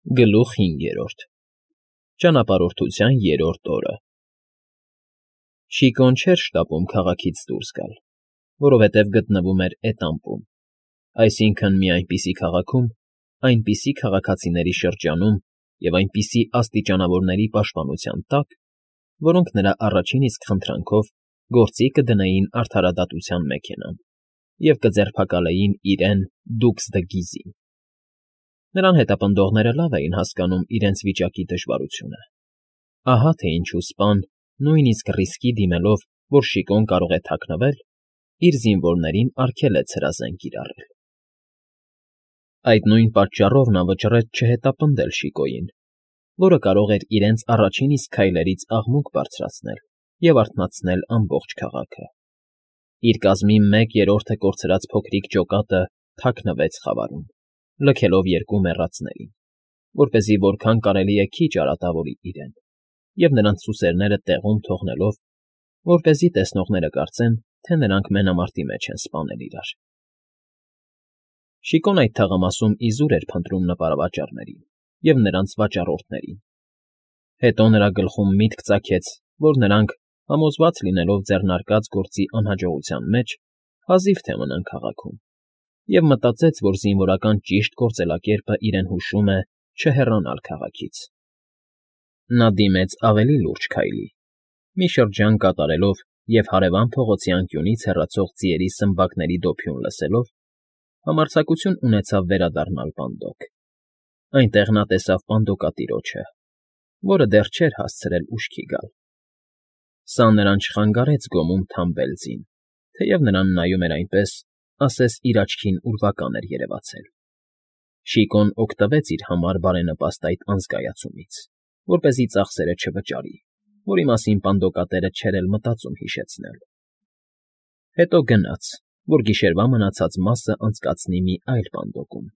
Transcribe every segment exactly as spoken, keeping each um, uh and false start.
Գլուխ հինգերորդ Ճանապարհորդության երրորդ օրը Շիկոն չէր շտապում քաղաքից դուրս գալ, որովհետև գտնվում էր էտամպում, այսինքն՝ մի այնպիսի քաղաքում, այնպիսի քաղաքացիների շրջանում և այնպիսի աստիճանավորների պաշտպանության տակ, որոնք նրա առաջին իսկ խնդրանքով գործի կդնեին արդարադատության մեքենան և կձերբակալեին իրեն՝ դուքս դը Գիզին։ Նրան հետապնդողները լավ էին հասկանում իրենց վիճակի դժվարությունը. ահա թե ինչու սպան, նույնիսկ ռիսկի դիմելով, որ Շիկոն կարող է թաքնվել, իր զինվորներին արգելեց հրազեն կիրառել։ Այդ նույն պատճառով նա վճռեց չհետապնդել Շիկոյին, որը կարող էր իրենց առաջին իսկ քայլերից աղմուկ բարձրացնել և արթնացնել ամբողջ քաղաքը։ Իր կազմի մեկ երրորդը կորցրած փոքրիկ ջոկատը թաքնվեց խավարում, լքելով երկու մեռածներին, որպեսզի որքան կարելի է քիչ արատավորի իրեն, և նրանց սուսերները տեղում թողնելով, որպեսզի տեսնողները կարծեն, թե նրանք մենամարտի մեջ են սպանել իրար։ Շիկոն այդ թաղամասում իզուր էր փնտրում նպարավաճառներին և նրանց վաճառորդներին։ Հետո նրա գլխում միտք ծագեց, որ նրանք, համոզված լինելով ձեռնարկած գործի անհաջողության մեջ, հազիվ թե մնան քաղաքում, և մտածեց, որ զինվորական ճիշտ գործելակերպը իրեն հուշում է չհեռանալ քաղաքից։ Նա դիմեց ավելի լուրջ քայլի, մի շրջան կատարելով և հարևան փողոցի անկյունից հեռացող ձիերի սմբակների դոփյուն լսելով, համարձակություն ունեցավ վերադառնալ պանդոկ։ Այնտեղ նա տեսավ պանդոկատիրոջը, որը դեռ չէր հասցրել ուշքի գալ։ Սա նրան չխանգարեց գոմում թամբել ձին, թեև նրան նայում էր այնպես, ասես իր աչքին ուրվական էր երևացել։ Շիկոն օգտվեց իր համար բարենպաստ այդ անզգայացումից, որպեսզի ծախսերը չվճարի, որի մասին պանդոկատերը չէր էլ մտածում հիշեցնել։ Հետո գնաց, որ գիշերվա մնացած մասը անցկացնի մի այլ պանդոկում,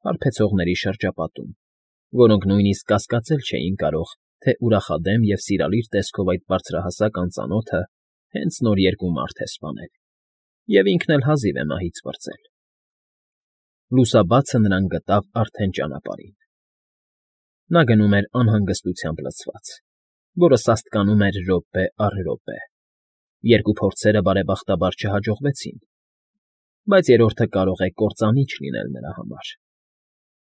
հարբեցողների շրջապատում, որոնք նույնիսկ կասկածել չէին կարող, թե ուրախադեմ և սիրալիր տեսքով այդ բարձրահասակ անծանոթը հենց նոր երկու մարդ է սպանել, և ինքն էլ հազիվ է մահից պրծել։ Լուսաբացը նրան գտավ արդեն ճանապարհին։ Նա գնում էր անհանգստությամբ լցված, որը սաստկանում էր րոպե առ րոպե։ Երկու փորձերը բարեբախտաբար չհաջողվեցին, բայց երրորդը կարող է կործանիչ լինել նրա համար։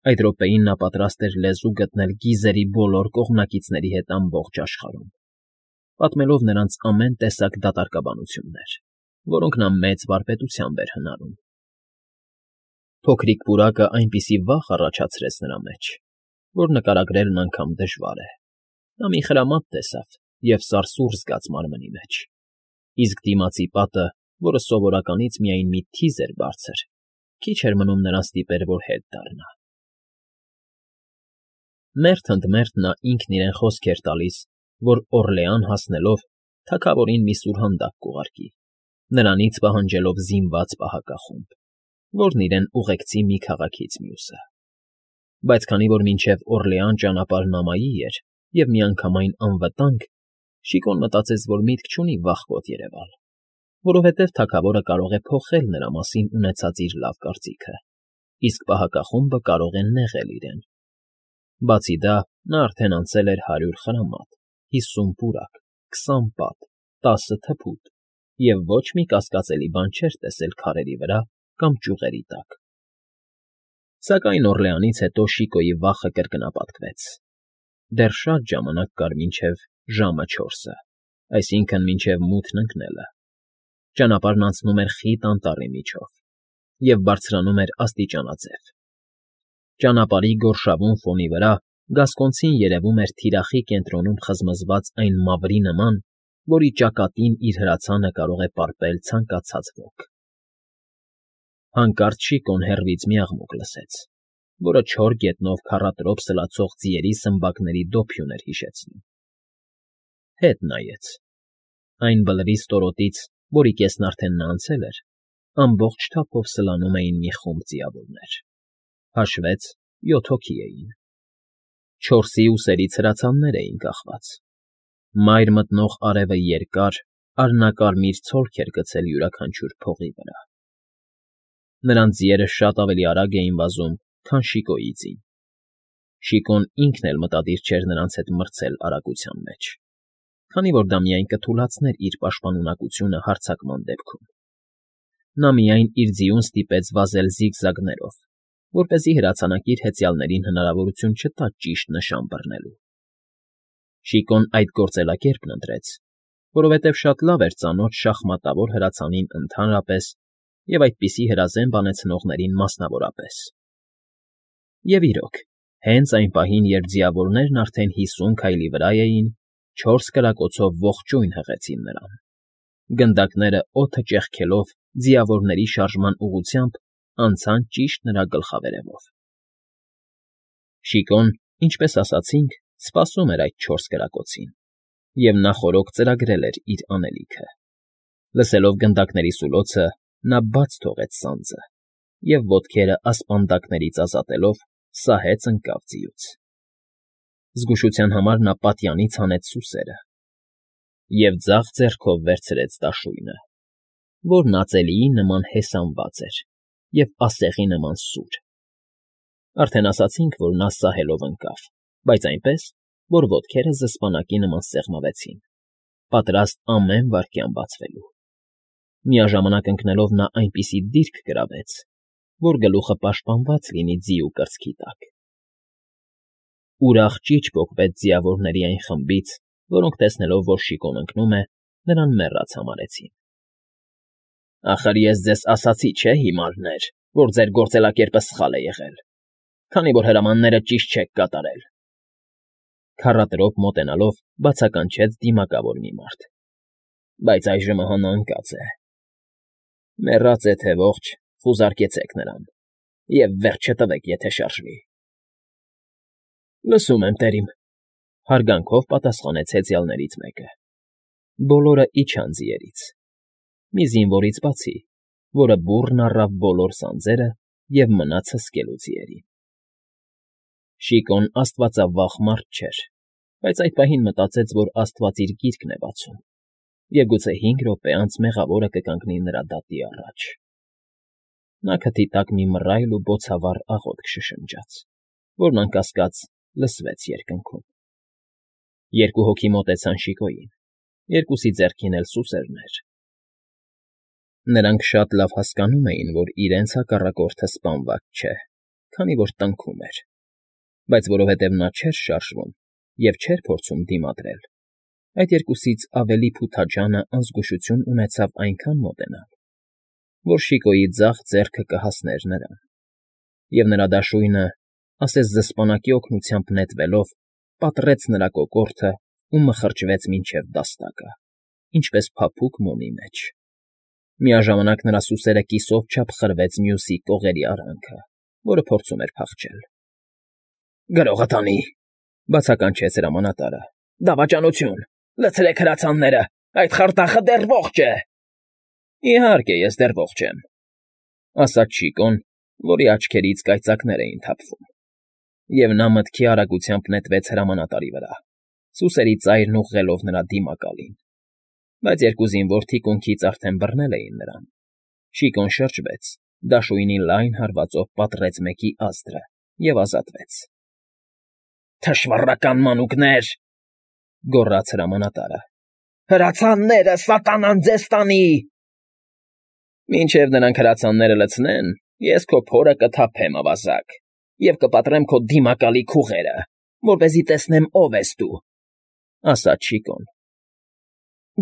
Այդ րոպեին նա պատրաստ էր լեզու գտնել գիզերի բոլոր կողմնակիցների հետ ամբողջ աշխարհում, պատմելով նրանց ամեն տեսակ դատարկաբանություններ, որոնք նա մեծ վարպետությամբ էր հնարում։ Փոքրիկ պուրակը այնպիսի վախ առաջացրեց նրա մեջ, որ նկարագրելն անգամ դժվար է։ Նա մի խրամատ տեսավ և սարսուռ զգաց մարմնի մեջ, իսկ դիմացի պատը, որը սովորականից միայն մի թիզ էր բարձր, քիչ էր մնում նրան ստիպեր, որ հետ դառնա։ Մերթ ընդ մերթ նա ինքն իրեն խոսք էր տալիս, որ Օռլեան հասնելով թագավորին մի սուրհանդակ կուղարկի, նրանից պահանջելով զինված պահակախումբ, որն իրեն ուղեկցի մի քաղաքից մյուսը։ Բայց քանի որ մինչև Օռլեան ճանապարհն ամայի էր և միանգամայն անվտանգ, Շիկոն մտածեց, որ միտք չունի վախկոտ երևալ, որովհետև թագավորը կարող է փոխել նրա մասին ունեցած իր լավ կարծիքը, իսկ պահակախումբը կարող է նեղել իրեն։ Բացի դա, նա արդեն անցել էր հարյուր խրամատ, հիսուն պուրակ, քսան պատ, տասը թփուտ և ոչ մի կասկածելի բան չէր տեսել քարերի վրա կամ ճյուղերի տակ։ Սակայն Օռլեանից հետո Շիկոյի վախը կրկնապատկվեց։ Դեռ շատ ժամանակ կար մինչև ժամը չորսը, այսինքն՝ մինչև մութն ընկնելը։ Ճանապարհն անցնում էր խիտ անտառի միջով և բարձրանում էր աստիճանաձև։ Ճանապարհի գորշավուն ֆոնի վրա գասկոնցին երևում էր թիրախի կենտրոնում խզմզված այն մավրի նման, որի ճակատին իր հրացանը կարող է պարպել ցանկացած ոք։ Հանկարծ Շիկոն հեռվից մի աղմուկ լսեց, որը չոր գետնով քառատրոփ սլացող ձիերի սմբակների դոփյուն էր հիշեցնում։ Հետ նայեց։ Այն բլրի ստորոտից, որի կեսն արդեն նա անցել էր, ամբողջ թափով սլանում էին մի խումբ ձիավորներ։ Հաշվեց՝ յոթ հոգի էին։ Չորսի ուսերից հրացաններ էին կախված։ Մայր մտնող արևը երկար, արհնակարմիր ցոլք էր գցել յուրաքանչյուր փողի վրա։ Նրանց ձիերը շատ ավելի արագ էին վազում, քան Շիկոյի ձին։ Շիկոն ինքն էլ մտադիր չէր նրանց հետ մրցել արագության մեջ, քանի որ դա միայն կթուլացներ իր պաշտպանունակությունը հարձակման դեպքում. նա միայն իր ձիուն ստիպեց վազել զիգզագներով, որպեսզի հրացանակիր հեծյալներին հնարավորություն չտա ճիշտ նշան բռնելու։ Շիկոն այդ գործելակերպն ընտրեց, որովհետև շատ լավ էր ծանոթ շախմատավոր հրացանին ընդհանրապես և այդպիսի հրազեն բանեցնողներին մասնավորապես։ Եվ իրոք, հենց այն պահին, երբ ձիավորներն արդեն հիսուն քայլի վրա էին, չորս կրակոցով ողջույն հղեցին նրան։ Գնդակները օդը ճեղքելով ձիավորների շարժման ուղղությամբ անցան ճիշտ նրա գլխավերևով։ Շիկոն, ինչպես ասացինք, սպասում էր այդ չորս կրակոցին, և նա խորոք ծրագրել էր իր անելիքը։ Լսելով գնդակների սուլոցը, նա բաց թողեց սանձը և, ոտքերը ասպանդակներից ազատելով, սահեց ընկավ ձիուց։ Զգուշության համար նա պատյանից հանեց սուսերը և ձախ ձեռքով վերցրեց դաշույնը, որն ածելիի նման հեսանված էր և ասեղի նման սուր։ Արդեն ասացինք, որ նա սահելով ընկավ, բայց այնպես, որ ոտքերը զսպանակի նման սեղմվեցին, պատրաստ ամեն վայրկյան բացվելու։ Միաժամանակ ընկնելով նա այնպիսի դիրք գրավեց, որ գլուխը պաշտպանված լինի ձիու կրծքի տակ։ Ուրախ ճիչ պոկվեց ձիավորների այն խմբից, որոնք, տեսնելով, որ Շիկոն ընկնում է, նրան մեռած համարեցին։ Ախր ես ձեզ ասացի, չէ՞, հիմարներ, որ ձեր գործելակերպը սխալ է եղել, քանի որ հրամանները ճիշտ չեք կատարել,֊ քառատրոպ մոտենալով բացականչեց դիմակավոր մի մարդ,֊ բայց այժմ ահա նա ընկած է։ Մեռած է թե ողջ, խուզարկեցեք նրան և վերջ չտվեք, եթե շարժվի։ Լսում եմ, տերիմ,֊ հարգանքով պատասխանեց հեծյալներից մեկը։ Բոլորը իջան ձիերից, մի զինվորից բացի, որը բուռն առավ բոլոր սանձերը և մնաց հսկելու ձիերին։ Շիկոն աստվածավախ մարդ չէր, բայց այդ պահին մտածեց, որ աստված իր գիրկն է բացում, և գուցե հինգ րոպե անց մեղավորը կկանգնի նրա դատի առաջ։ Նա քթի տակ մի մռայլ ու բոցավառ աղոթք շշնջաց, որն անկասկած լսվեց երկնքում։ Երկու հոգի մոտեցան Շիկոյին, երկուսի ձեռքին էլ սուսերն էր։ Նրանք շատ լավ հասկանում էին, որ իրենց հակառակորդը սպանված չէ, քանի որ տնքում էր, բայց որովհետև նա չէր շարժվում և չէր փորձում դիմադրել, այդ երկուսից ավելի փութաջանը անզգուշություն ունեցավ այնքան մոտենալ, որ Շիկոյի ձախ ձեռքը կհասներ նրան, և նրա դաշույնը, ասես զսպանակի օգնությամբ նետվելով, պատռեց նրա կոկորդը ու մխրճվեց մինչև դաստակը, ինչպես փափուկ մոմի մեջ։ Միաժամանակ նրա սուսերը կիսով չափ խրվեց մյուսի կողերի արանքը, որը փորձում էր փախչել։ Գրողը տանի,֊ բացականչեց հրամանատարը,֊ դավաճանություն, լցրեք հրացանները, այդ խարդախը դեռ ողջ է։ Իհարկե, ես դեռ ողջ եմ,֊ ասաց Շիկոն, որի աչքերից կայծակներ էին թափվում, և նա մտքի արագությամբ նետվեց հրամանատարի վրա, սուսերի ծայրն ուղղելով նրա դիմակալին, բայց երկու զինվոր թիկունքից արդեն բռնել էին նրան։ Շիկոն շրջվեց, դաշույնի լայն հարվածով պատռեց մեկի ազդրը և ազատվեց։ Թշվառական մանուկներ,֊ գոռաց հրամանատարը,֊ հրացանները սատանան ձեզ տանի։ Մինչև նրանք հրացանները լցնեն, ես քո փորը կթափեմ, ավազակ, և կպատրեմ քո դիմակալի քուղերը, որպեսզի տեսնեմ ով ես դու,֊ ասաց Շիկոն։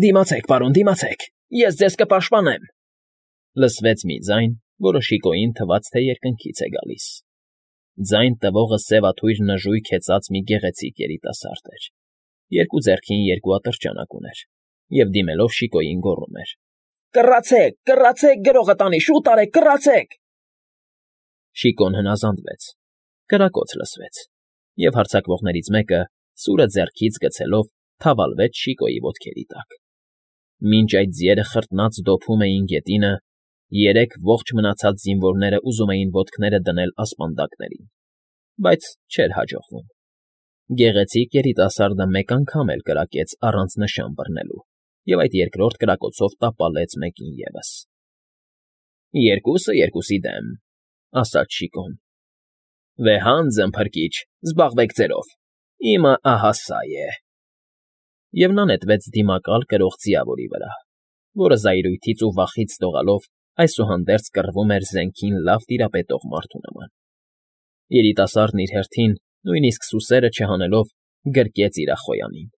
Դիմացեք, պարոն, դիմացեք, ես ձեզ կպաշտպանեմ,֊ լսվեց մի ձայն, որը Շիկոյին թվաց, թե երկնքից է գալիս։ Ձայն տվողը սևաթույր նժույգ հեծած մի գեղեցիկ երիտասարդ էր, երկու ձեռքին երկու ատրճանակ ուներ և դիմելով Շիկոյին գոռում էր. Կռացեք, կռացեք, գրողը տանի, շուտ արեք, կռացեք։ Շիկոն հնազանդվեց, կրակոց լսվեց, և հարձակվողներից մեկը, սուրը ձեռքից գցելով, թավալվեց Շիկոյի ոտքերի տակ։ Մինչ այդ ձիերը խրտնած դոփում էին գետինը, երեք ողջ մնացած զինվորները ուզում էին ոտքները դնել ասպանդակներին, բայց չէր հաջողվում։ Գեղեցիկ երիտասարդը մեկ անգամ էլ կրակեց առանց նշան բռնելու և այդ երկրորդ կրակոցով տապալեց մեկին ևս։ Երկուսը երկուսի դեմ,֊ ասաց Շիկոն։ Վեհանձն փրկիչ, զբաղվեք ձերով, իմը ահա սա է… Եվ նա նետվեց դիմակալ կրող ձիավորի վրա, որը զայրույթից ու վախից դողալով այսուհանդերձ կռվում էր զենքին լավ տիրապետող մարդու նման. երիտասարդն իր հերթին, նույնիսկ սուսերը չհանելով, գրկեց իր ախոյանին,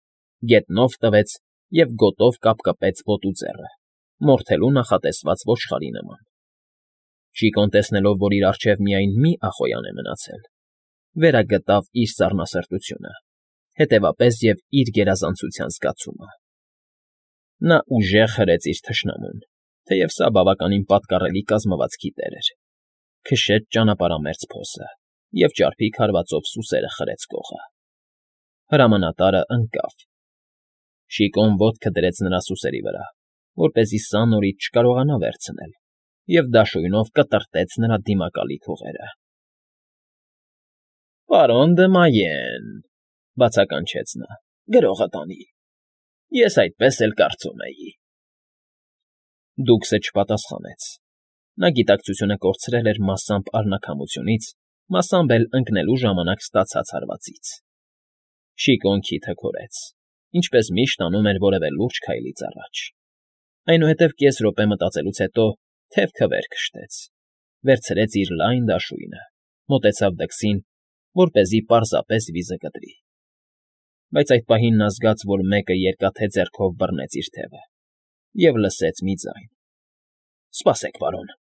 գետնով տվեց և գոտով կապկպեց ոտու ձեռը, մորթելու նախատեսված ոչխարի նման… Շիկոն տեսնելով, որ իր առջև միայն մի ախոյան է մնացել, վերագտավ իր սառնասրտությունը, հետևապես և իր գերազանցության զգացումը… Նա ուժեղ հրեց իր թշնամուն, թեև սա բավականին պատկառելի կազմվածքի տեր էր, քշեց ճանապարհամերձ փոսը և ճարպիկ հարվածով սուսերը խրեց կողը… Հրամանատարը ընկավ… Շիկոն ոտքը դրեց նրա սուսերի վրա, որպեսզի սա նորից չկարողանա վերցնել, և դաշույնով կտրտեց նրա դիմակալի փողերը… ֊ Պարոն Դմայեն,֊ բացականչեց նա,֊ գրողը տանի… Ես այդպես էլ կարծում էի… Դուքսը չպատասխանեց. նա գիտակցությունը կորցրել էր մասամբ արնաքամությունից, մասամբ էլ ընկնելու ժամանակ ստացած հարվածից… Շիկոն քիթը քորեց, ինչպես միշտ անում էր որևէ լուրջ քայլից առաջ… Այնուհետև կես րոպե մտածելուց հետո թևքը վեր քշտեց, վերցրեց իր լայն դաշույնը, մոտեցավ դքսին, որպեսզի պարզապես վիզը կտրի… Բայց այդ պահին նա զգաց, որ մեկը երկաթե ձեռքով բռնեց իր թևը, և լսեց մի ձայն. «Սպասեք, պարոն…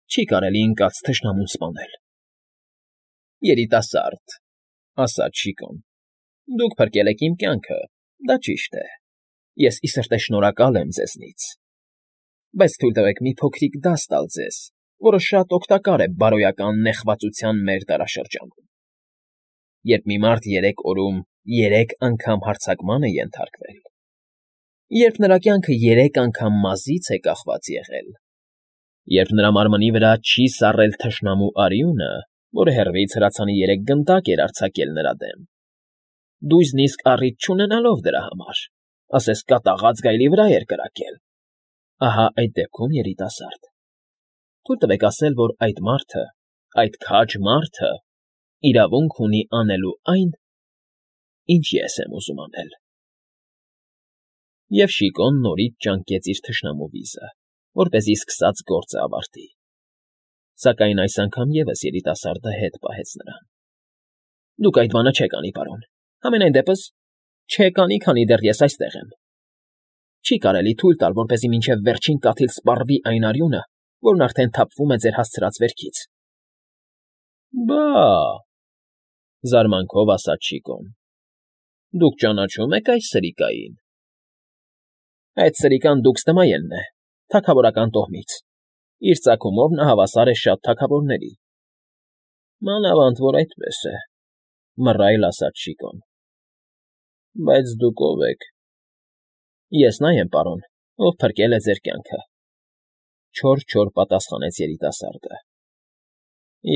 Չի կարելի ընկած թշնամուն սպանել…»։ ֊ Երիտասարդ,֊ ասաց Շիկոն,֊ դուք փրկել եք իմ կյանքը, դա ճիշտ է, ես ի սրտե շնորհակալ եմ ձեզնից… Բայց թույլ տվեք մի փոքրիկ դաս տալ ձեզ, որը շատ օգտակար է բարոյական նեղվածության մեր դարաշրջանում… Երբ մի մարդ երեք օրում երեք անգամ հարձակման է ենթարկվել, երբ նրա կյանքը երեք անգամ մազից է կախված եղել, երբ նրա մարմնի վրա չի սառել թշնամու արյունը, որը հեռվից հրացանի երեք գնդակ էր արձակել նրա դեմ, դույզնիսկ առիթ չունենալով դրա համար, ասես կատաղած գայլի վրա էր կրակել… Ահա այդ դեպքում, երիտասարդ, թույլ տվեք ասել, որ այդ մարդը, այդ քաջ մարդը իրավունք ունի անելու այն, ինչ ես եմ ուզում անել… Եվ Շիկոն նորից ճանկեց իր թշնամու վիզը, որպեսզի սկսած գործը ավարտի… Սակայն այս անգամ ևս երիտասարդը հետ պահեց նրան. ֊ Դուք այդ բանը չեք անի, պարոն, համենայն դեպս չեք անի, քանի դեռ ես այստեղ եմ… Չի կարելի թույլ տալ, որպեսզի մինչև վերջին կաթիլ սպառվի այն արյունը, որն արդեն թափվում է ձեր հասցրած վերքից… ֊ Բա՜,֊ զարմանքով ասաց Շիկոն,֊ դուք ճանաչո՞ւմ եք այս սրիկային… ֊ Այդ սրիկան Դուքս Դմայենն է, թագավորական տոհմից, իր ծագումով նա հավասար է շատ թագավորների… ֊ Մանավանդ որ այդպես է,֊ մռայլ ասաց Շիկոն,֊ բայց դուք ո՞վ եք… ֊ Ես նա եմ, պարոն, ով փրկել է ձեր կյանքը,֊ չոր֊չոր պատասխանեց երիտասարդը,֊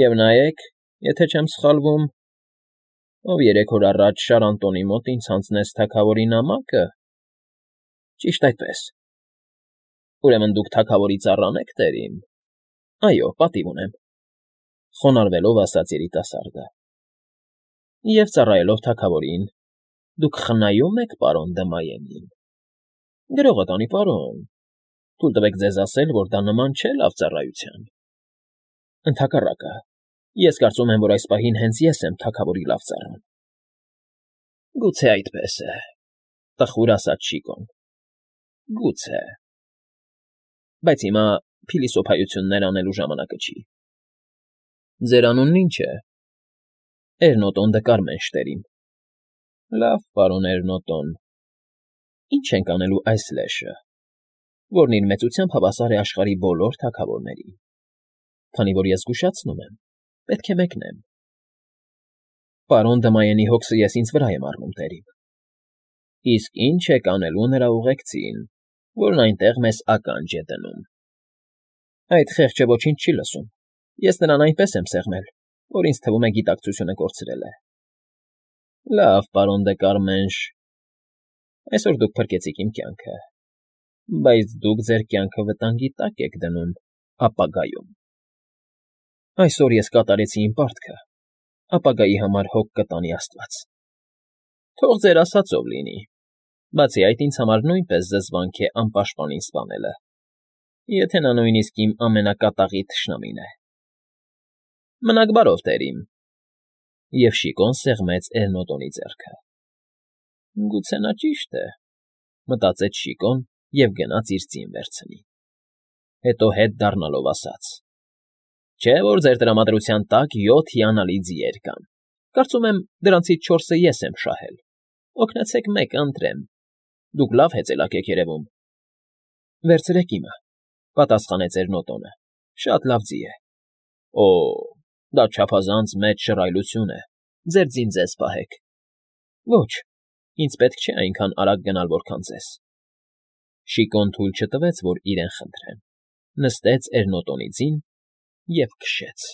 և նայեք, եթե չեմ սխալվում, ով երեք օր առաջ Շարանտոնի մոտ ինձ հանձնեց թագավորի նամակը… Ճիշտ այդպես… Ուրեմն դուք թագավորի ծառան եք, տերին… Այո, պատիվ ունեմ,֊ խոնարհվելով ասաց երիտասարդը,֊ և ծառայելով թագավորին, դուք խնայո՞ւմ եք պարոն Դմայենին… Գրողը տանի, պարոն… Թույլ տվեք ձեզ ասել, որ դա նման չէ լավ ծառայության… Ընդհակառակը, ես կարծում եմ, որ այս պահին հենց ես եմ թագավորի լավ ծառան… ֊ Գուցե այդպես է,֊ տխուր ասաց Շիկոն,֊ գուցե… Բայց հիմա փիլիսոփայություններ անելու ժամանակը չի… Ձեր անունն ի՞նչ է… Էրնոտոն դը Կարմենշտերին… Լավ, պարոն Էրնոտոն… Ի՞նչ ենք անելու այս լեշը, որն իր մեծությամբ հավասար է աշխարհի բոլոր թագավորներին… Քանի որ ես զգուշացնում եմ, պետք է մեկնեմ… Պարոն Դմայենի հոգսը ես ինձ վրա եմ առնում, տերին… Իսկ ի՞նչ եք անելու նրա ուղեկցին, որն այնտեղ մեզ ականջ է դնում… Այդ խեղճը ոչինչ չի լսում, ես նրան այնպես եմ սեղմել, որ ինձ թվում է գիտակցությունը կորցրել է… Լավ, պարոն դե Կարմենշ… Այսօր դուք փրկեցիք իմ կյանքը, բայց դուք ձեր կյանքը վտանգի տակ եք դնում ապագայում… Այսօր ես կատարեցի իմ պարտքը, ապագայի համար հոգ կտանի աստված։ Թող ձեր ասածով լինի, բացի այդ ինձ համար նույնպես զզվանք է անպաշտպանին սպանելը, եթե նա նույնիսկ իմ ամենակատաղի թշնամին է։ Մնաք բարով, տերիմ,֊ և Շիկոն սեղմեց Էլնոտոնի ձեռքը։ «Գուցե նա ճիշտ է,֊ մտածեց Շիկոն և գնաց իր ձին վերցնի։ Հետո հետ դառնալով ասաց. «Չէ՞ որ ձեր տրամադրության տակ յոթ հիանալի ձիեր կան, կարծում եմ, դրանցից չորսը ես եմ շահել, օգնեցեք մեկը, ընտրեմ, դուք լավ հեծելակ եք երևում»։ «Վերցրեք իմը,֊ պատասխանեց Էլնոտոնը,֊ շատ լավ ձի է»։ «Օ՜, դա չափազանց մեծ շռայլություն է, ձեր ձին ձեզ պահեք»։ «Ոչ, ինձ պետք չէ այնքան արագ գնալ, որքան ձեզ»։ Շիկոն թույլ չտվեց, որ իրեն խնդրեն, նստեց Էլնոտոնի ձին և քշեց։